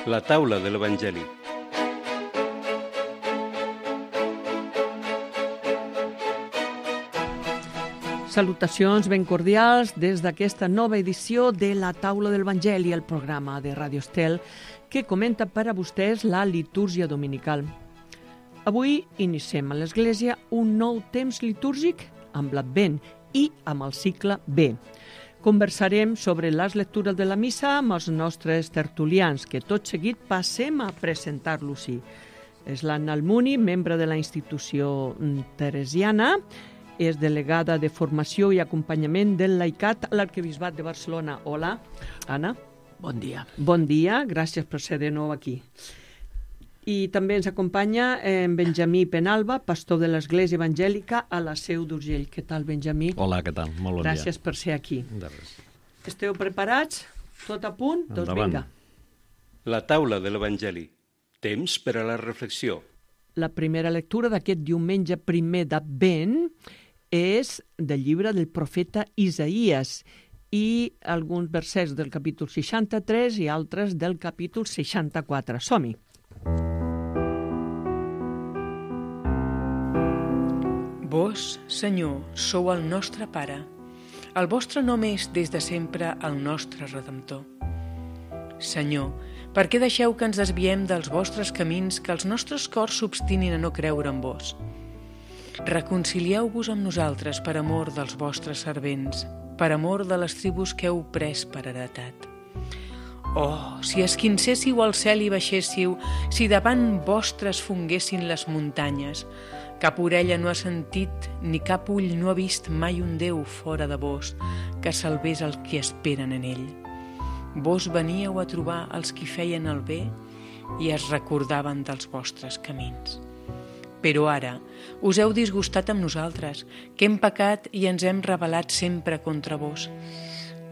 La taula de l'Evangeli. Salutacions ben cordials des d'aquesta nova edició de La taula de l'Evangeli, el programa de Radio Estel que comenta per a vostès la litúrgia dominical. Avui iniciem a l'Església un nou temps litúrgic amb l'Advent i amb el cicle B. Conversarem sobre les lectures de la missa amb els nostres tertulians, que tot seguit passem a presentar-los-hi. És l'Anna Almuni, membre de la institució teresiana, és delegada de formació i acompanyament del laicat a l'Arquebisbat de Barcelona. Hola, Anna. Bon dia. Bon dia, gràcies per ser de nou aquí. I també ens acompanya en Benjamí Penalba, pastor de l'Església Evangèlica a la Seu d'Urgell. Què tal, Benjamí? Hola, què tal? Molt bon dia. Gràcies per ser aquí. De res. Esteu preparats? Tot a punt? Doncs vinga. La taula de l'Evangeli. Temps per a la reflexió. La primera lectura d'aquest diumenge primer d'Advent és del llibre del profeta Isaïes i alguns versets del capítol 63 i altres del capítol 64. Som-hi! Vós, Senyor, sou el nostre Pare. El vostre nom és des de sempre el nostre Redemptor. Senyor, per què deixeu que ens desviem dels vostres camins, que els nostres cors s'obstinin a no creure en vos? Reconcilieu-vos amb nosaltres per amor dels vostres servents, per amor de les tribus que heu pres per heretat. Oh, si esquincéssiu al cel i baixéssiu, si davant vostres fonguessin les muntanyes, cap orella no ha sentit ni cap ull no ha vist mai un Déu fora de vos que salvés els qui esperen en ell. Vos veníeu a trobar els qui feien el bé i es recordaven dels vostres camins. Però ara us heu disgustat amb nosaltres, que hem pecat i ens hem rebel·lat sempre contra vos.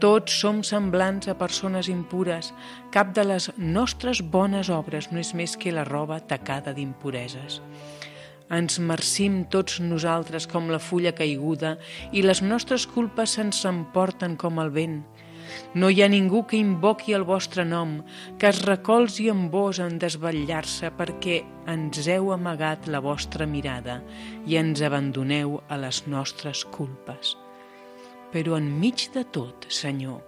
Tots som semblants a persones impures, cap de les nostres bones obres no és més que la roba tacada d'impureses. Ens marcim tots nosaltres com la fulla caiguda i les nostres culpes se'ns emporten com el vent. No hi ha ningú que invoqui el vostre nom, que es recolzi en vos en desvetllar-se perquè ens heu amagat la vostra mirada i ens abandoneu a les nostres culpes. Però enmig de tot, Senyor,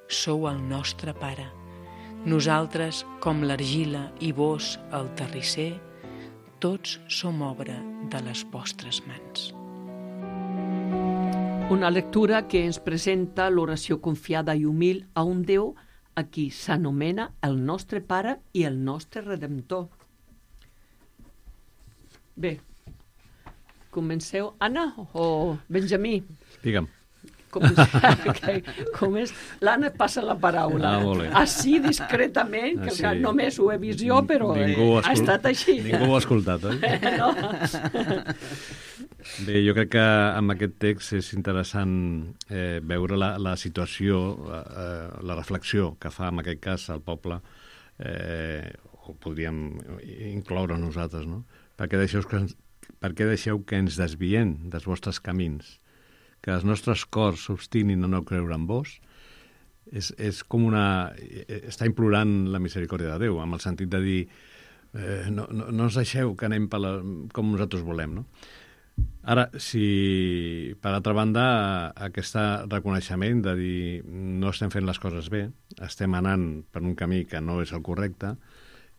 sou el nostre Pare. Nosaltres, com l'argila i vos, el terrisser, tots som obra de les vostres mans. Una lectura que ens presenta l'oració confiada i humil a un Déu a qui s'anomena el nostre Pare i el nostre Redemptor. Bé, comenceu. Anna o Benjamí? Digue'm. Com és? L'Anna passa la paraula. Així discretament, que sí. Només ho he vist jo, però ha estat així. Ningú ho ha escoltat, oi? No. Bé, jo crec que amb aquest text és interessant veure la situació, la reflexió que fa en aquest cas el poble, o podríem incloure nosaltres, no? Per què deixeu que ens desviem dels vostres camins? Que els nostres cors s'obstinin a no creure en vos, és com està implorant la misericòrdia de Déu, amb el sentit de dir no ens deixeu que anem com nosaltres volem, no? Ara, si per altra banda aquest reconeixement de dir no estem fent les coses bé, estem anant per un camí que no és el correcte,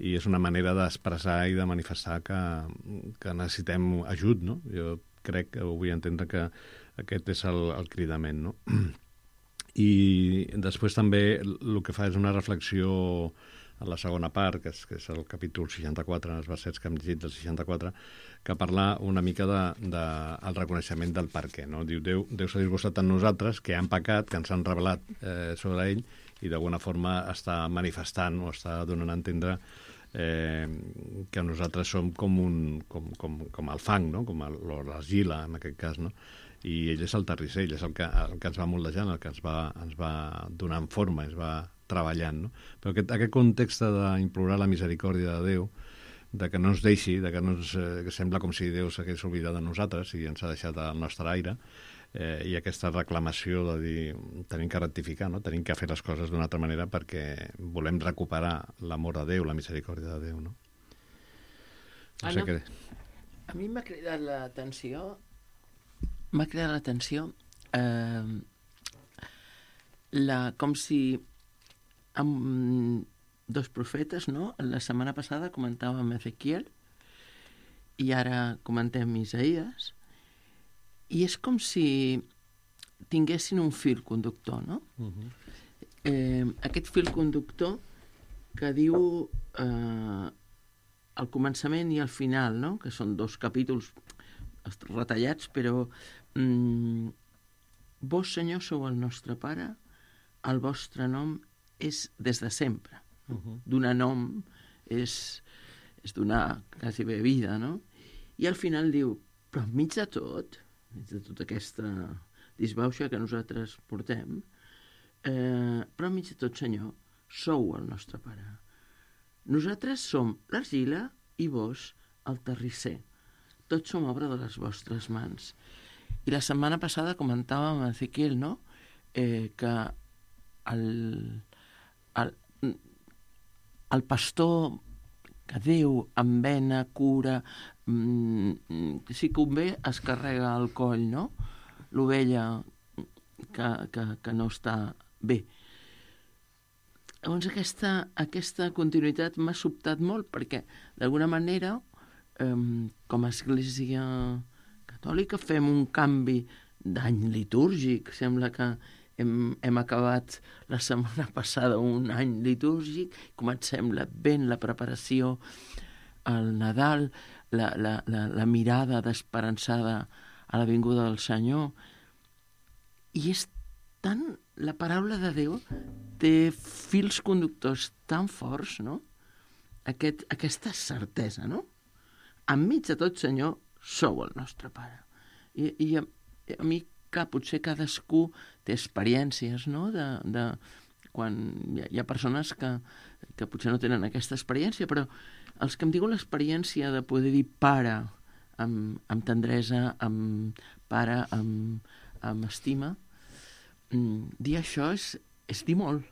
i és una manera d'expressar i de manifestar que necessitem ajut, no? Jo crec que ho vull entendre que aquest és el cridament, no? I després també el que fa és una reflexió a la segona part, que és el capítol 64, els versets que hem llegit del 64, que parla una mica del reconeixement del per què, no? Diu, Déu s'ha disgustat en nosaltres, que han pecat, que ens han rebel·lat sobre ell, i d'alguna forma està manifestant o està donant a entendre que nosaltres som com el fang, no? Com l'argila, en aquest cas, no? I ell és el terrisser, ell és el que ens va moldejant, el que ens va donant forma, ens va treballant, no? Però aquest context d'implorar la misericòrdia de Déu, de que no ens deixi, que sembla com si Déu s'hagués oblidat de nosaltres i ens ha deixat al nostre aire, i aquesta reclamació de dir tenim que rectificar, no? Tenim que fer les coses d'una altra manera perquè volem recuperar l'amor de Déu, la misericòrdia de Déu, no? No sé què... A mi m'ha cridat l'atenció com si amb dos profetes, no? La setmana passada comentàvem Ezequiel i ara comentem Isaïes, i és com si tinguessin un fil conductor, no? Aquest fil conductor que diu al començament i al final, no? Que són 2 capítols retallats, però vos, Senyor, sou el nostre Pare, el vostre nom és des de sempre. Donar nom és donar quasi bé vida, no? I al final diu, però enmig de tota aquesta disbauxa que nosaltres portem, però enmig de tot, Senyor, sou el nostre Pare. Nosaltres som l'argila i vos el terrisser. Tots som obra de les vostres mans. I la setmana passada comentàvem a Ezequiel, no?, que el pastor que Déu envena, cura, si convé es carrega el coll, no?, l'ovella que no està bé. Llavors aquesta continuïtat m'ha sobtat molt perquè d'alguna manera com a Església Catòlica fem un canvi d'any litúrgic. Sembla que hem acabat la setmana passada un any litúrgic, comencem l'Advent, la preparació al Nadal, la mirada d'esperançada a la vinguda del Senyor. I és tant... La paraula de Déu té fils conductors tan forts, no? Aquesta certesa, no? Enmig de tot, Senyor, sou el nostre Pare. I a mi, clar, potser cadascú té experiències, no?, de quan hi ha persones que potser no tenen aquesta experiència, però els que em diuen l'experiència de poder dir pare amb tendresa, amb pare, amb estima, dir això és dir molt.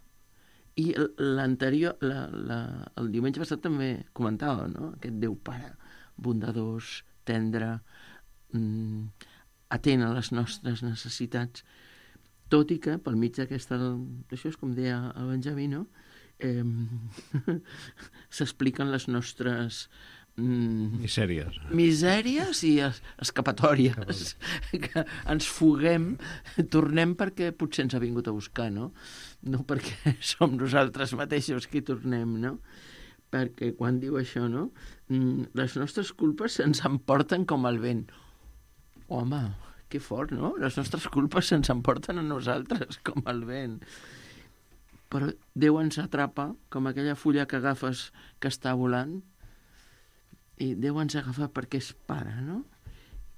I l'anterior, el diumenge passat també comentava, no?, aquest Déu Pare, bondadós, tendre, atent a les nostres necessitats, tot i que pel mig d'aquesta... Això és com deia el Benjamí, no?, s'expliquen les nostres... misèries i escapatòries, que ens fuguem, tornem perquè potser ens ha vingut a buscar, no perquè som nosaltres mateixos qui tornem, no? Perquè quan diu això, no, les nostres culpes se'ns emporten com el vent. Home, que fort, no? Les nostres culpes se'ns emporten a nosaltres com el vent. Però Déu ens atrapa com aquella fulla que agafes que està volant, i Déu ens agafa perquè és Pare, no?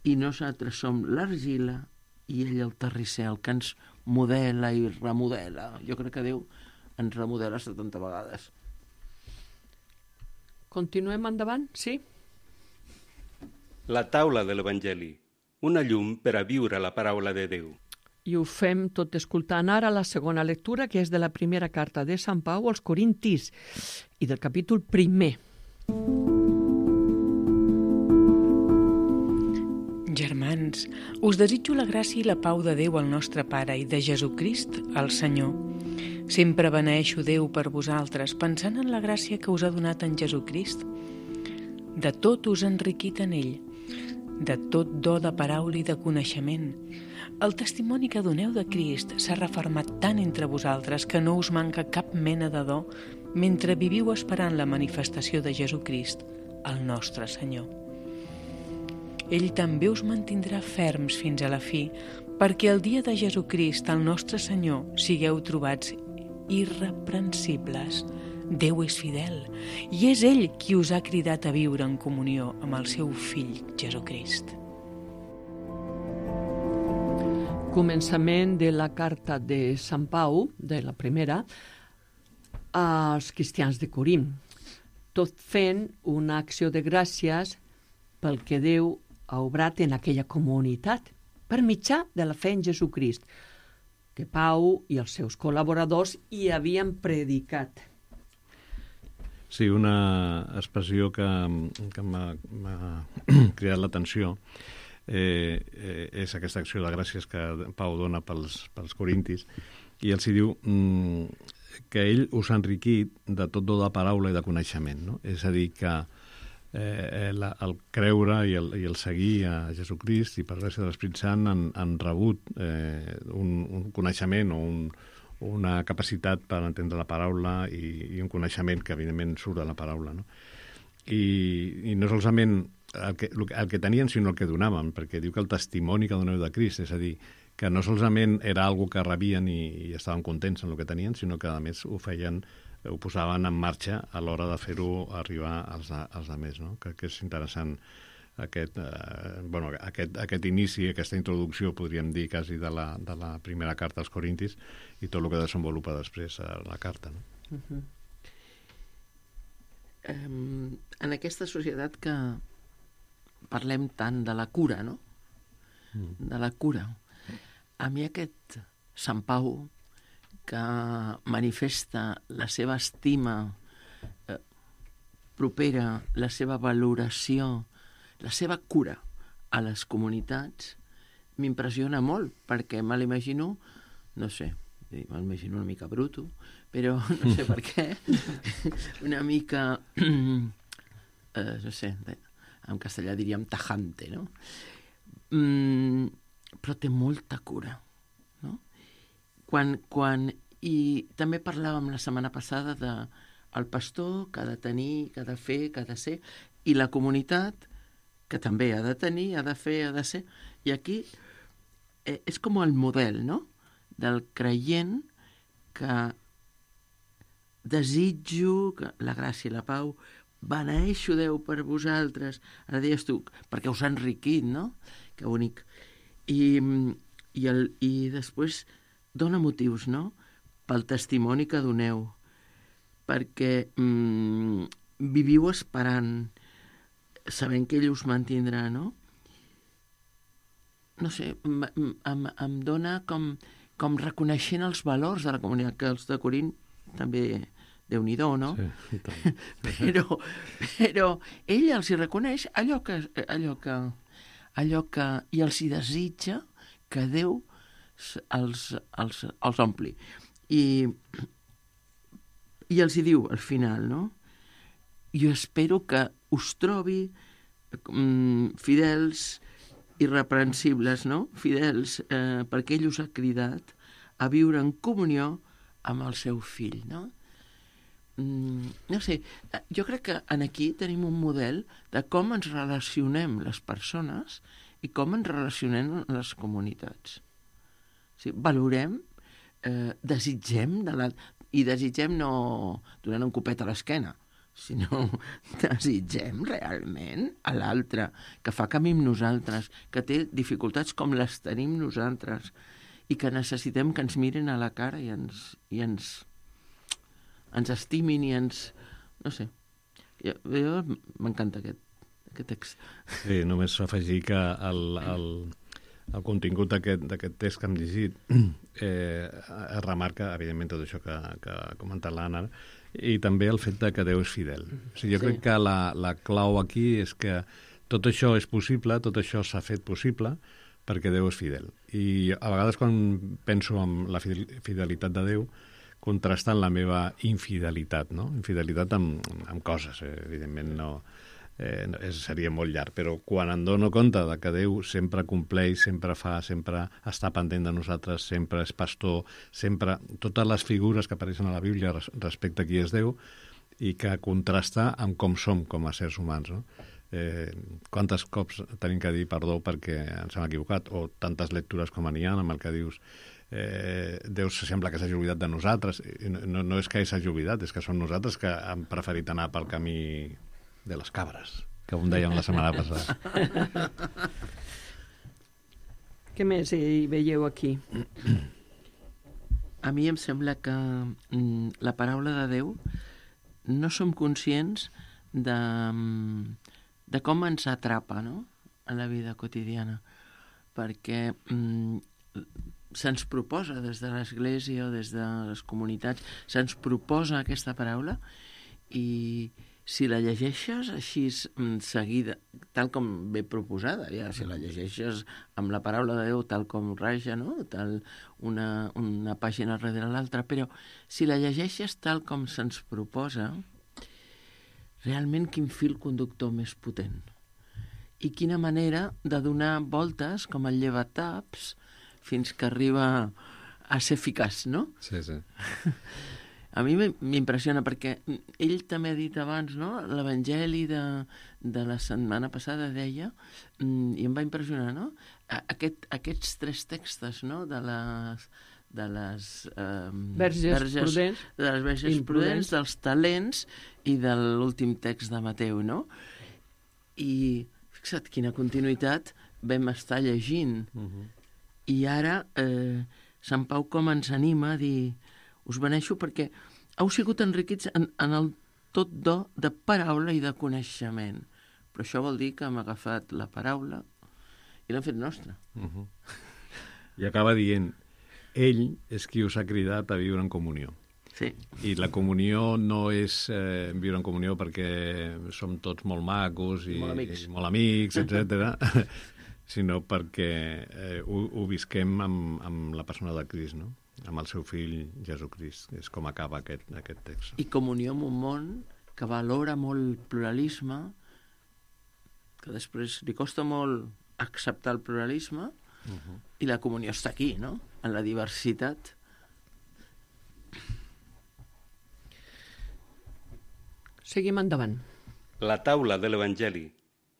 I nosaltres som l'argila i ell el terrisser, el que ens modela i remodela. Jo crec que Déu ens remodela 70 vegades. Continuem endavant, sí? La taula de l'Evangeli, una llum per a viure la paraula de Déu. I ho fem tot escoltant ara la segona lectura, que és de la primera carta de Sant Pau als Corintis i del capítol 1. Germans, us desitjo la gràcia i la pau de Déu el nostre Pare i de Jesucrist el Senyor. Sempre beneeixo Déu per vosaltres, pensant en la gràcia que us ha donat en Jesucrist. De tot us ha enriquit en ell, de tot do de paraula i de coneixement. El testimoni que doneu de Crist s'ha refermat tant entre vosaltres que no us manca cap mena de do mentre viviu esperant la manifestació de Jesucrist, el nostre Senyor. Ell també us mantindrà ferms fins a la fi, perquè el dia de Jesucrist, el nostre Senyor, sigueu trobats irreprensibles. Déu és fidel, i és ell qui us ha cridat a viure en comunió amb el seu fill Jesucrist. Començament de la carta de Sant Pau, de la primera, als cristians de Corint, tot fent una acció de gràcies pel que Déu ha obrat en aquella comunitat per mitjà de la fe en Jesucrist, que Pau i els seus col·laboradors hi havien predicat. Sí, una expressió que m'ha cridat l'atenció és aquesta acció de gràcies que Pau dona pels corintis, i els hi diu que ell us ha enriquit de tot do de paraula i de coneixement, no? És a dir, que el creure i el seguir a Jesucrist i per gràcia de l'Espírit Sant han rebut un coneixement o una capacitat per entendre la paraula i un coneixement que evidentment surt de la paraula, no? I no solament el que tenien, sinó el que donaven, perquè diu que el testimoni que doneu de Crist, és a dir, que no solament era algo que rebien i estaven contents en el que tenien, sinó que a més ho posaven en marxa a l'hora de fer-ho arribar als altres, no? Que és interessant aquest inici, aquesta introducció, podríem dir, quasi de la primera carta als Corintis i tot el que desenvolupa després a la carta, no? En aquesta societat que parlem tant de la cura, no? De la cura. A mi aquest Sant Pau, que manifesta la seva estima propera, la seva valoració, la seva cura a les comunitats, m'impressiona molt, perquè me l'imagino, no sé, m'imagino una mica bruto, però no sé per què, una mica, no sé, en castellà diríem tajante, no? Però té molta cura, no? I també parlàvem la setmana passada del pastor que ha de tenir, que ha de fer, que ha de ser, i la comunitat que també ha de tenir, ha de fer, ha de ser. I aquí és com el model, no?, del creient que desitjo que la gràcia i la pau beneeixo Déu per vosaltres, ara deies tu, perquè us ha enriquit, no? Que bonic. I després dona motius, no?, pel testimoni que doneu, perquè viviu esperant, sabent que ell us mantindrà, no? No sé, em dona com reconeixent els valors de la comunitat, que els de Corint també, Déu-n'hi-do, no? Sí, però ell els hi reconeix allò que i els hi desitja que Déu els ompli. I els hi diu al final, no? Jo espero que us trobi fidels, irreprensibles, no? Fidels, perquè ell us ha cridat a viure en comunió amb el seu fill, no? No sé, jo crec que aquí tenim un model de com ens relacionem les persones i com ens relacionem les comunitats. Sí, valorem, desitgem, i desitgem no donant un copet a l'esquena, sinó desitgem realment a l'altre, que fa camí amb nosaltres, que té dificultats com les tenim nosaltres, i que necessitem que ens mirin a la cara i ens estimin i ens... No sé. Jo m'encanta aquest text. Sí, només afegir que el contingut d'aquest text que hem llegit es remarca, evidentment, tot això que ha comentat l'Anna, i també el fet que Déu és fidel. O sigui, jo crec que la clau aquí és que tot això és possible, tot això s'ha fet possible perquè Déu és fidel. I a vegades quan penso en la fidelitat de Déu, contrastant la meva infidelitat, no? Infidelitat amb coses, evidentment no... seria molt llarg, però quan em dono compte de que Déu sempre compleix, sempre fa, sempre està pendent de nosaltres, sempre és pastor, sempre... Totes les figures que apareixen a la Bíblia respecte a qui és Déu i que contrasta amb com som com a éssers humans, no? Quantes cops tenim que dir perdó perquè ens hem equivocat, o tantes lectures com n'hi ha amb el que dius Déu sembla que s'hagi oblidat de nosaltres. No és que s'hagi oblidat, és que som nosaltres que hem preferit anar pel camí de les cabres, que ho dèiem la setmana passada. Què més hi veieu aquí? A mi em sembla que la paraula de Déu no som conscients de com ens atrapa, no?, en la vida quotidiana. perquè se'ns proposa des de l'Església o des de les comunitats, se'ns proposa aquesta paraula, i si la llegeixes així seguida, tal com ve proposada, ja, si la llegeixes amb la paraula de Déu tal com raja, no? Tal una pàgina darrere l'altra, però si la llegeixes tal com se'ns proposa, realment quin fil conductor més potent. I quina manera de donar voltes com el llevataps fins que arriba a ser eficaç, no? Sí, sí. A mi m'impressiona perquè ell també ha dit abans, no? L'Evangeli de la setmana passada deia, i em va impressionar, no? Aquests 3 textos, no? De les verges prudents, dels talents i de l'últim text de Mateu, no? I fixa't quina continuïtat vam estar llegint. I ara Sant Pau com ens anima a dir: us beneixo perquè heu sigut enriquits en el tot do de paraula i de coneixement. Però això vol dir que hem agafat la paraula i l'hem fet nostra. I acaba dient: ell és qui us ha cridat a viure en comunió. Sí. I la comunió no és viure en comunió perquè som tots molt macos i molt amics, etc., sinó perquè ho visquem amb la persona de Crist, no? Amb el seu fill Jesucrist. És com acaba aquest text. I comunió amb un món que valora molt el pluralisme, que després li costa molt acceptar el pluralisme, i la comunió està aquí, no? En la diversitat. Seguim endavant. La taula de l'Evangeli.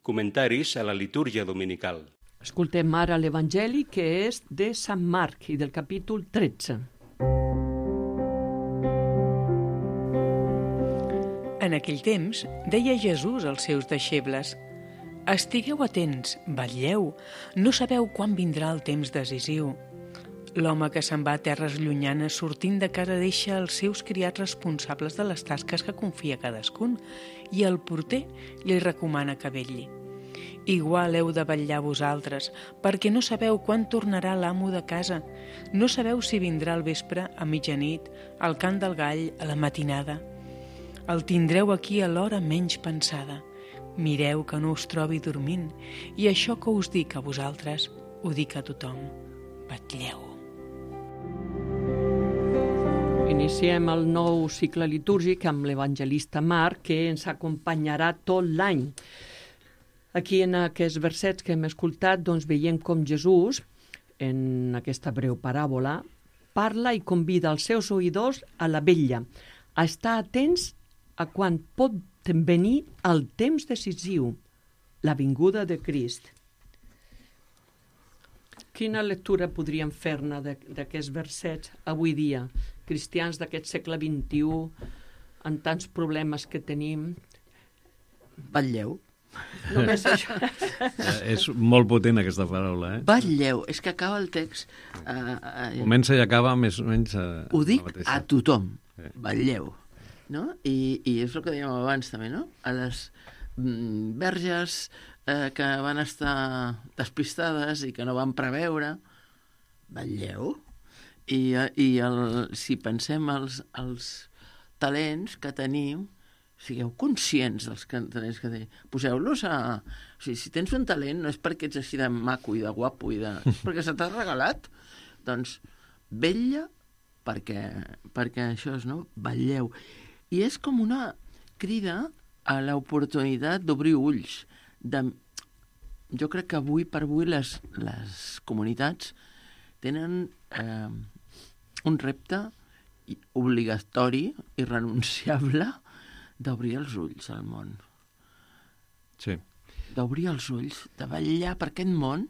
Comentaris a la litúrgia dominical. Escoltem ara l'Evangeli, que és de Sant Marc i del capítol 13. En aquell temps, deia Jesús als seus deixebles: estigueu atents, vetlleu, no sabeu quan vindrà el temps decisiu. L'home que se'n va a terres llunyanes sortint de casa deixa els seus criats responsables de les tasques que confia cadascun, i el porter li recomana que vetlli. Igual heu de vetllar vosaltres, perquè no sabeu quan tornarà l'amo de casa, no sabeu si vindrà al vespre, a mitjanit, al cant del gall, a la matinada. El tindreu aquí a l'hora menys pensada. Mireu que no us trobi dormint, i això que us dic a vosaltres, ho dic a tothom. Vetlleu. Iniciem el nou cicle litúrgic amb l'evangelista Marc, que ens acompanyarà tot l'any. Aquí, en aquests versets que hem escoltat, doncs veiem com Jesús, en aquesta breu paràbola, parla i convida els seus oïdors a la vetlla, a estar atents a quan pot venir el temps decisiu, la vinguda de Crist. Quina lectura podríem fer-ne d'aquests versets avui dia? Cristians d'aquest segle XXI, amb tants problemes que tenim. Vetlleu. Només això. És molt potent aquesta paraula, eh? Vetlleu. És que acaba el text... Comença i acaba més o menys... Ho dic a tothom. Vetlleu. No? I és el que dèiem abans també, no? A les verges que van estar despistades i que no van preveure, vetlleu. I si pensem els talents que tenim, sigueu conscients dels talents que tenim. Poseu-los a... O sigui, si tens un talent no és perquè ets així de maco i de guapo i de... perquè se t'ha regalat. Doncs vetlla perquè això és, no? Vetlleu. I és com una crida a l'oportunitat d'obrir ulls. Jo crec que avui per avui les comunitats tenen un repte obligatori i renunciable d'obrir els ulls al món. Sí. D'obrir els ulls, de vetllar per aquest món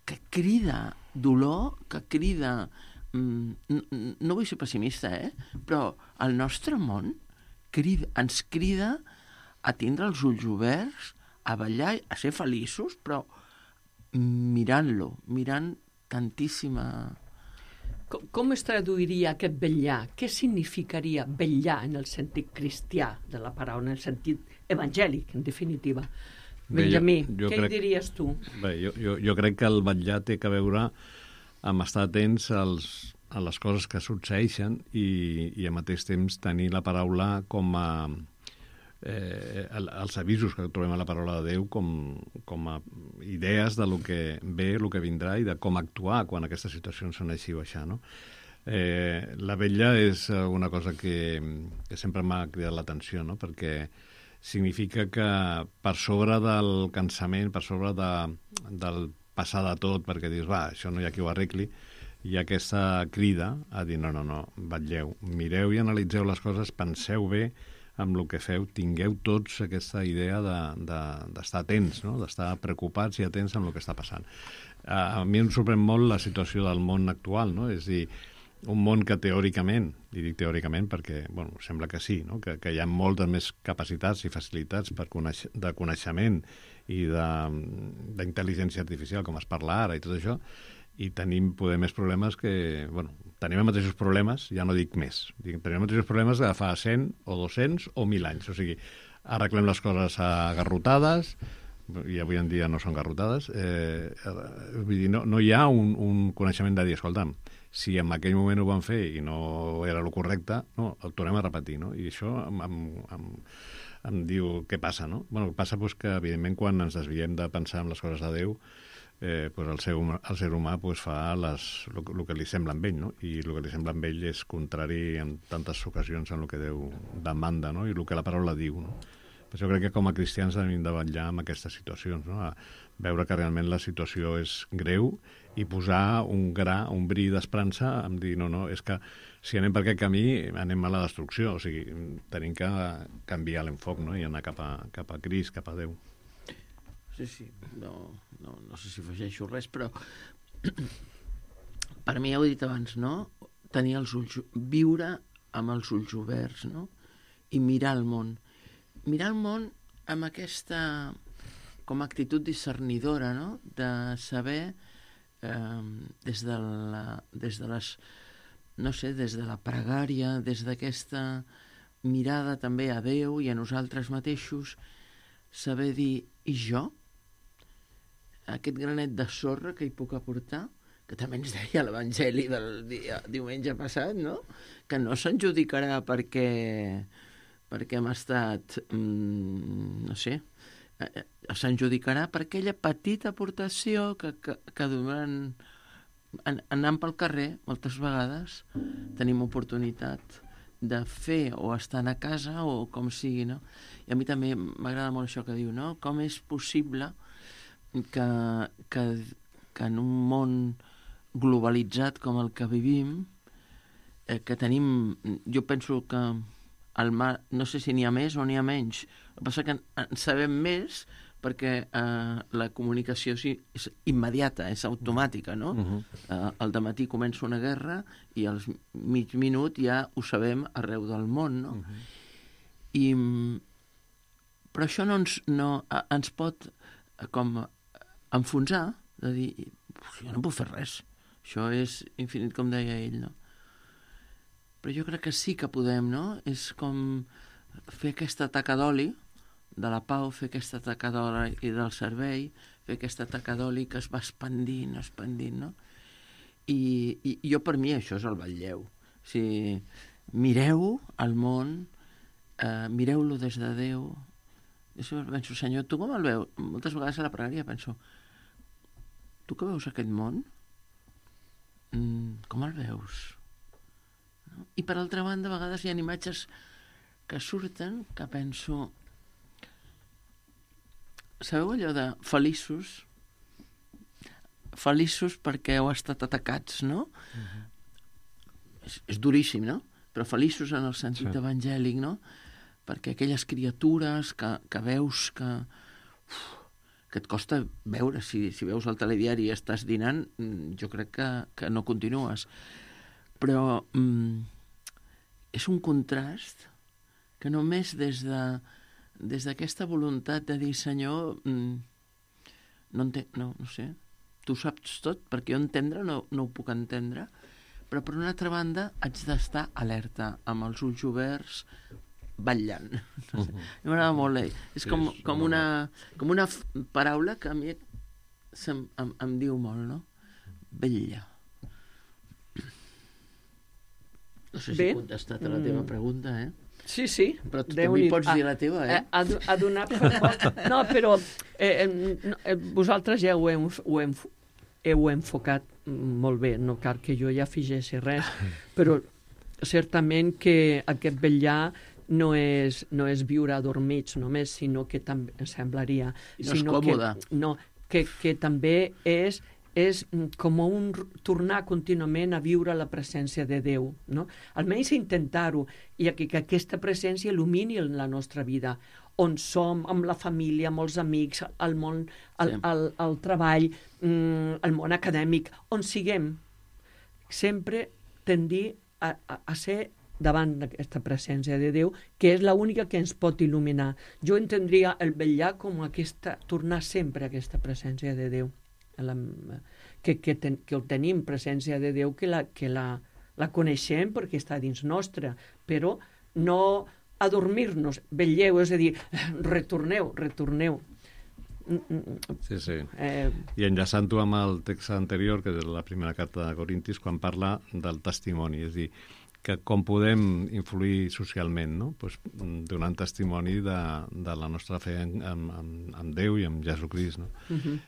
que crida dolor, que crida... No vull ser pessimista, però el nostre món ens crida a tindre els ulls oberts, a ballar, a ser feliços, però mirant-lo, mirant tantíssima... Com es traduiria aquest vetllar? Què significaria vetllar en el sentit cristià de la paraula, en el sentit evangèlic, en definitiva? Benjamí, què hi diries tu? Bé, jo crec que el vetllar té a veure amb estar atents a les coses que succeeixen i al mateix temps tenir la paraula com a els avisos que trobem a la paraula de Déu com a idees de lo que ve, el que vindrà i de com actuar quan aquestes situacions són així o així, no? La vetlla és una cosa que sempre m'ha cridat l'atenció, no? Perquè significa que per sobre del cansament, per sobre del passar de tot, perquè dius, va, això no hi ha qui ho arregli, hi ha aquesta crida a dir, no, vetlleu, mireu i analitzeu les coses, penseu bé amb el que feu, tingueu tots aquesta idea d'estar atents, no? D'estar preocupats i atents amb el que està passant. A mi em sorprèn molt la situació del món actual, no? És a dir, un món que teòricament, i dic teòricament perquè bueno, sembla que sí, no? Que hi ha moltes més capacitats i facilitats de coneixement i d'intel·ligència artificial, com es parla ara i tot això, i tenim poder més problemes que... Bueno, tenim els mateixos problemes, ja no dic més, tenim els mateixos problemes de fa 100 o 200 o 1.000 anys. O sigui, arreglem les coses a garrotades, i avui en dia no són garrotades, vull dir, no hi ha un coneixement de dir, escolta'm, si en aquell moment ho van fer i no era el correcte, no, el tornem a repetir, no? I això em diu què passa, no? Bueno, passa pues, que, evidentment, quan ens desviem de pensar en les coses de Déu, pues el ser humà pues, fa el que li sembla amb ell, no? I el que li sembla amb ell és contrari en tantes ocasions en el que Déu demanda, no? I el que la paraula diu, no? Per això crec que com a cristians hem de vetllar amb aquestes situacions, no? A veure que realment la situació és greu i posar un bri d'esperança en dir, no, és que si anem per aquest camí anem a la destrucció, o sigui, tenim que canviar l'enfoc, no? I anar cap a Crist, cap a Déu. Sí, no sé si afegeixo res, però per mi, ja ho he dit abans, no? Tenir els ulls, viure amb els ulls oberts, no? I mirar el món. Mirar el món amb aquesta com a actitud discernidora, no? De saber des de les, no sé, des de la pregària, des d'aquesta mirada també a Déu i a nosaltres mateixos, saber dir, i jo? Aquest granet de sorra que hi puc aportar, que també ens deia l'Evangeli del diumenge passat, no? Que no s'adjudicarà perquè hem estat, no sé, s'adjudicarà per aquella petita aportació que durant anant pel carrer, moltes vegades, tenim oportunitat de fer o estar a casa o com sigui, no? I a mi també m'agrada molt això que diu, no? Com és possible que en un món globalitzat com el que vivim, que tenim, jo penso que el mar, no sé si n'hi ha més o n'hi ha menys, el que passa que en sabem més perquè la comunicació és immediata, és automàtica, no? Al dematí comença una guerra i al mig minut ja ho sabem arreu del món, no? Però això no ens pot com enfonsar, de dir, jo no puc fer res, això és infinit, com deia ell, no? Però jo crec que sí que podem, no? És com fer aquesta taca d'oli de la pau, fer aquesta taca d'oli i del servei, fer aquesta taca d'oli que es va expandint, no? I jo, per mi, això és el vetlleu. O sigui, mireu el món, mireu-lo des de Déu. Jo penso, Senyor, tu com el veus? Moltes vegades a la pregària penso, tu que veus aquest món? Com el veus? No? I per altra banda, a vegades hi ha imatges que surten que penso, sabeu allò de feliços perquè heu estat atacats, no? És duríssim, no? Però feliços en el sentit evangèlic, no? Perquè aquelles criatures que veus que et costa veure, si veus el telediari i estàs dinant, jo crec que no continues. Però és un contrast que només des d'aquesta voluntat de dir, Senyor, no sé, tu saps tot, perquè jo entendre no ho puc entendre, però per una altra banda haig d'estar alerta, amb els ulls oberts, vetllant. No sé. M'agrada molt. És com una paraula que a mi em diu molt, no? Vetlla. No sé si he contestat a la teva pregunta, Sí, sí. Però tu també pots dir la teva, Ha donat resposta. No, però vosaltres ja ho heu enfocat molt bé. No cal que jo ja afegeixi res, però certament que aquest vetllar no és viure adormits només, sinó que també, em semblaria... I no és còmode. Que també és com tornar contínuament a viure la presència de Déu, no? Almenys intentar-ho, i que aquesta presència il·lumini la nostra vida, on som, amb la família, amb els amics, al món, al treball, al món acadèmic, on siguem. Sempre tendir a ser davant d'aquesta presència de Déu, que és l'única que ens pot il·luminar. Jo entendria el vetllar com tornar sempre a aquesta presència de Déu. Que el tenim, presència de Déu, que la coneixem perquè està dins nostra, però no adormir-nos, vetlleu, és a dir, retorneu. Sí. I enllaçant-ho amb el text anterior, que és la primera carta de Corintis, quan parla del testimoni, és a dir, que com podem influir socialment, no? Pues, donant testimoni de la nostra fe en Déu i en Jesucrist. No?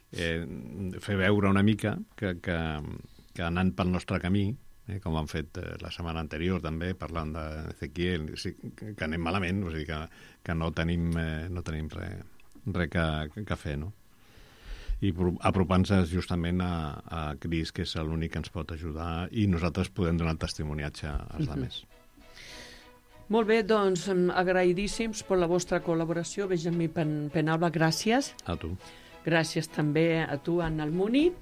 Fer veure una mica que anant pel nostre camí, com han fet la setmana anterior també, parlant d'Ezequiel, que anem malament, o sigui que no tenim res que fer, no? I apropant-nos justament a Crist, que és l'únic que ens pot ajudar, i nosaltres podem donar testimoniatge als altres. Molt bé, doncs agraïdíssims per la vostra col·laboració. Benjamí Penalba, gràcies. A tu. Gràcies també a tu, Anna Almuni.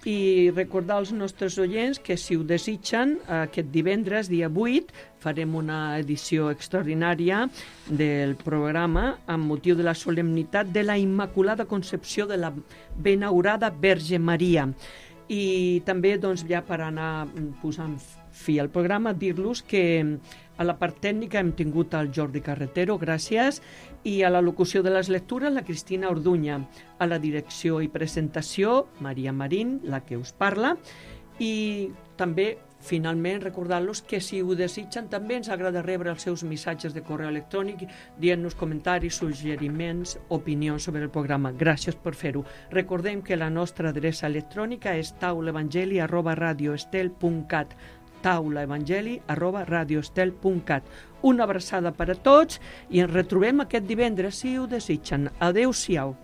I recordar als nostres oients que, si ho desitgen, aquest divendres, dia 8, farem una edició extraordinària del programa amb motiu de la solemnitat de la Immaculada Concepció de la Benaurada Verge Maria. I també, doncs, ja per anar posant fi al programa, dir-los que a la part tècnica hem tingut el Jordi Carretero, gràcies, i a la locució de les lectures la Cristina Orduña, a la direcció i presentació Maria Marín, la que us parla, i també finalment recordar-los que, si ho desitgen, també ens agrada rebre els seus missatges de correu electrònic dient-nos comentaris, suggeriments, opinions sobre el programa. Gràcies per fer-ho. Recordem que la nostra adreça electrònica és taulaevangeli@radioestel.cat, taulaevangeli@radioestel.cat. Una abraçada per a tots i ens retrobem aquest divendres, si ho desitgen. Adéu-siau.